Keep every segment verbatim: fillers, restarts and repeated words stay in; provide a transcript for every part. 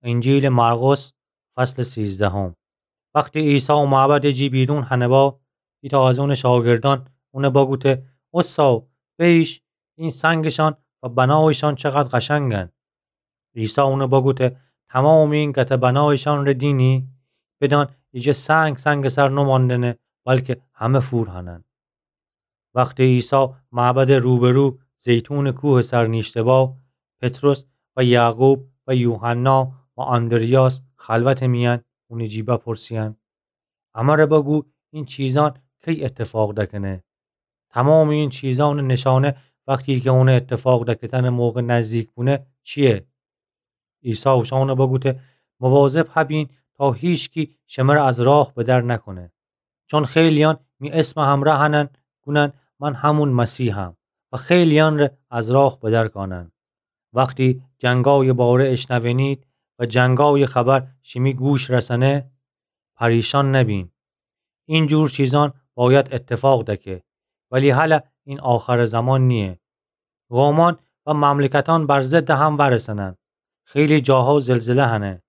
انجیلٚ مرقس، فصلٚ سیزدهم. وختی عیسی معبدٚ جی بیرون هنه با، ایتأ از اونٚ شاگردأن اونه بگوته: اوستا، بیش، این سنگشان و بنایشان چقدر قشنگن. عیسی اونه بگوته: تمامٚ این گته بنایشانٚ ره دینی؟ بدأن ایجه سنگ سنگٚ سر نماندنه، بلکه همه فور هنن. وختی عیسی معبدٚ روبرو زیتونٚ کوهٚ سر نیشته با، پطرس و یعقوب و یوحنا و آندریاس خلوتٚ میأن اونٚ جی بپرسییدن: امره بگو، این چیزأن کی اتفاق دکنه؟ تمامٚ این چیزأنٚ نشانه وختی کی اونٚ اتفاق دکفتنٚ موقع نزدیک بونه چیه؟ عیسی اوشأنه بگوته: مواظب هبین تا هیچکی شمره از راه بدر نکونه. چون خیلییأن می اسمٚ همرأ هنن، گونن من همون مسیحم و خیلییأن ره از راه بدر کانن. وختی جنگایٚ باره اشنوینید و جنگایٚ خبر شیمی گوش رسنه، پریشان نبین. این جور چیزأن بأید اتفاق دکه، ولی هله این آخرٚ زمان نییه. قومأن و مملکتأن بر ضدٚ هم ورسنن. خیلی جاها زلزله هنه،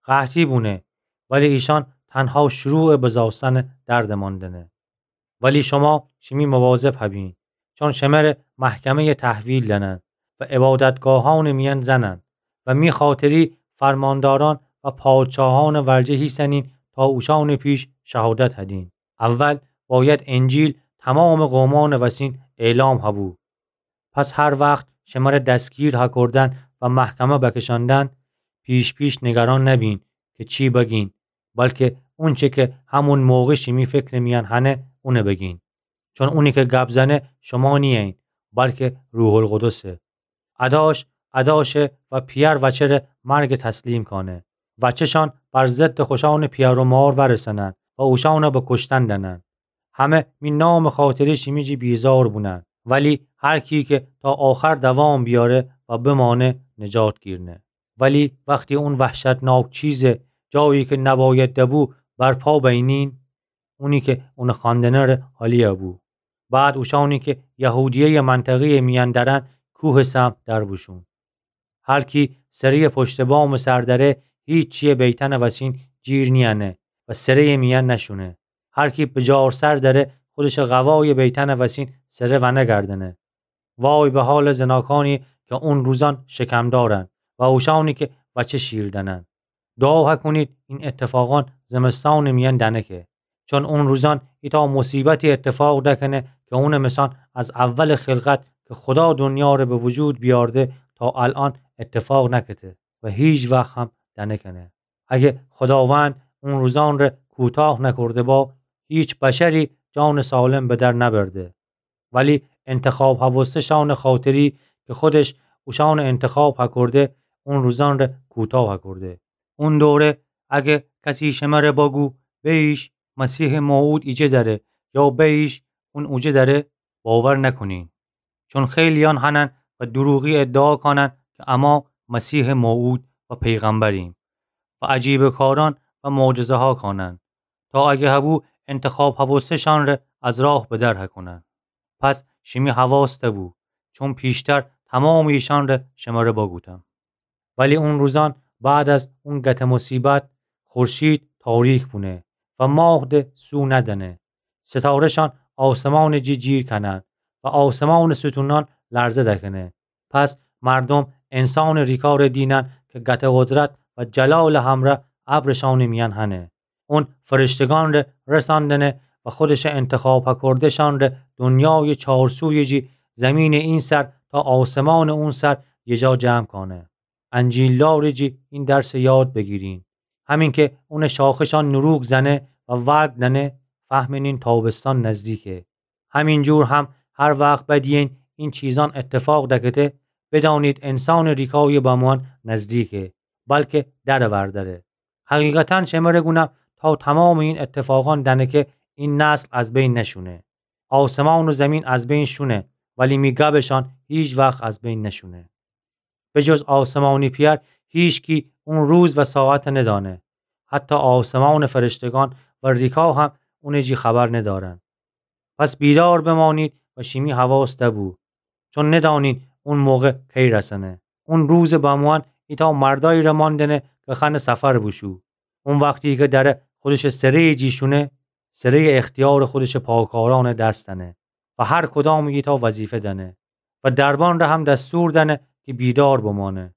قحطی بونه، ولی ایشأن تنها شروعٚ بزاستنٚ دردٚ ماندنه. ولی شما شیمی مواظب هبین، چون شمره محکمه‌یٚ تحویل دأنن و عبادتگاهأنٚ میأن زنن و می خاطری فرماندارأن و پادشاهأنٚ ورجه هیسنین تا اوشأنٚ پیش شهادت هدین. اول بأید انجیل تمامٚ قومأنٚ وسین اعلام هبو. پس هر وخت شمره دستگیر هکردن و محکمه بکشاندن، پیش پیش نگران نبین کی چی بگین، بلکه اونچه کی همون موقع شیمی فکرٚ میأن هنه، اونه بگین. چون اونی کی گب زنه شما نییین، بلکه روح‌القدسه. اداش اداشه و پیأر وچه ره مرگ تسلیم کانه. وچه‌شأن بر ضدٚ خوشأنٚ پیأر و مار ورسنن و اوشأنه به کشتن دأنن. همه می نامٚ خاطری شیمی جی بیزار بونن. ولی هر کی کی تا آخر دوام بیاره و بمانه، نجات گیرنه. ولی وختی اون وحشتناک چیزٚ جایی کی نبأید دبو برپا بینین، اونی کی اونٚ خواندنٚ ره حالی بو. بعد اوشأنی کی یهودیه‌یٚ منطقه‌یٚ میأن درن کوهٚ سمت در بوشون. هر کی سره‌یٚ پشتٚ بامٚ سر دره، هیچییٚ بیتأنٚ وسین جیر نیأنه و سره‌یٚ میأن نشونه. هر کی بجار سر دره، خودشٚ قوایٚ بیتأنٚ وسین سره ونگردنه. وای به حالٚ زناکأنی کی اون روزأن شکم دارن و اوشأنی کی وچه شیر دأنن. دعا هکونید این اتفاقأن زمستانٚ میأن دنکه. چون اون روزأن ایتأ مصیبتی اتفاق دکنه کی اونٚ مثأن از اولٚ خلقت کی خودا دنیا ره به وجود بیأرده تا الأن اتفاق نکته و هیچ وخت هم دنکنه. اگه خوداوند اون روزأن ره کوتاه نکرده با، هیچ بشری جانٚ سالم به در نبرده. ولی انتخاب هوسته‌شأنٚ خاطری کی خودش اوشأنٚ انتخاب هکرده، اون روزأن ره کوتاه هکرده. اون دوره اگه کسی شمره بگو، بیش، مسیحٚ موعود ایجه دره، یا بیش، اون اوجه دره، باور نکونین. چون خیلییأن هنن و دروغی ادعا کانن کی اما مسیحٚ موعود و پیغمبریم و عجیبٚ کارأن و معجزه‌ها کانن، تا اگه هبو انتخاب هوسته‌شأن ره از راه به در هکونن. پس شیمی حواس دبو، چون پیشتر تمامٚ ایشأن ره شمره بگوتم. ولی اون روزأن بعد از اون گته مصیبت، خورشید تاریک بونه و ماه ده سو ندنه. ستاره‌شأن آسمانٚ جی جیر کنن و آسمانٚ ستونأن لرزه دکنه. پس مردوم انسانٚ ریکا ره دینن کی گته قدرت و جلالٚ همرأ ابرٚ شأنٚ میأن هنه. اون فرشتگأن ره رسأندنه و خودشٚ انتخاب هکرده‌شأن ره دنیایٚ چارسویٚ جی، زیمینٚ این سر تا آسمانٚ اون سر یه جا جمع کانه. انجیلدارٚ جی این درسٚ یاد بیگیرین. همین کی اونٚ شاخه‌شأن نوروغ زنه و ورگ دنه، فهمینین تابستان نزدیکه. همین جور هم هر وخت بدیین این چیزأن اتفاق دکته، بدانید انسانٚ ریکایٚ بموئن نزدیکه، بلکه درٚ ور دره. حقیقتاً شمره گونم، تا تمامٚ این اتفاقأن دنکه، این نسل از بین نشونه. آسمان و زیمین از بین شونه، ولی می گبٚشأن هیچ وخت از بین نشونه. به جز آسمانی پئر هیچکی اون روز و ساعت ندانه. حتی آسمانٚ فرشتگأن و ریکا هم اونٚ جی خبر ندارن. پس بیدار بمانید و شیمی حواس دبو، چون ندانید اون موقع کی رسنه. اون روزٚ بموئن ایتأ مردأیی ره ماندأنه کی خأنه سفر بوشو. او وختی کی دأره خودشٚ سره‌یٚ جی شونه، سره‌یٚ اختیارٚ خودشٚ پاکارأنٚ دس دأنه و هر کدامٚ ایتأ وظیفه دأنه و دربان ره هم دستور دأنه کی بیدار بمأنه.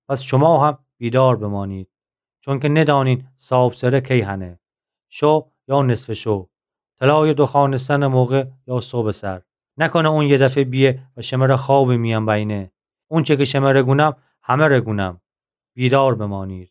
پس شما هم بیدار بمأنید، چونکی ندأنین صاحبسره کی هنه، شو یا نصفٚ شو، طلایٚ دوخوأنستنٚ موقع یا صبحٚ سر. نکنه او یه دفعه بیه و شمره خوابٚ میأن بأینه. اونچه کی شمره گونم، همه‌ره گونم. بیدار بمأنید.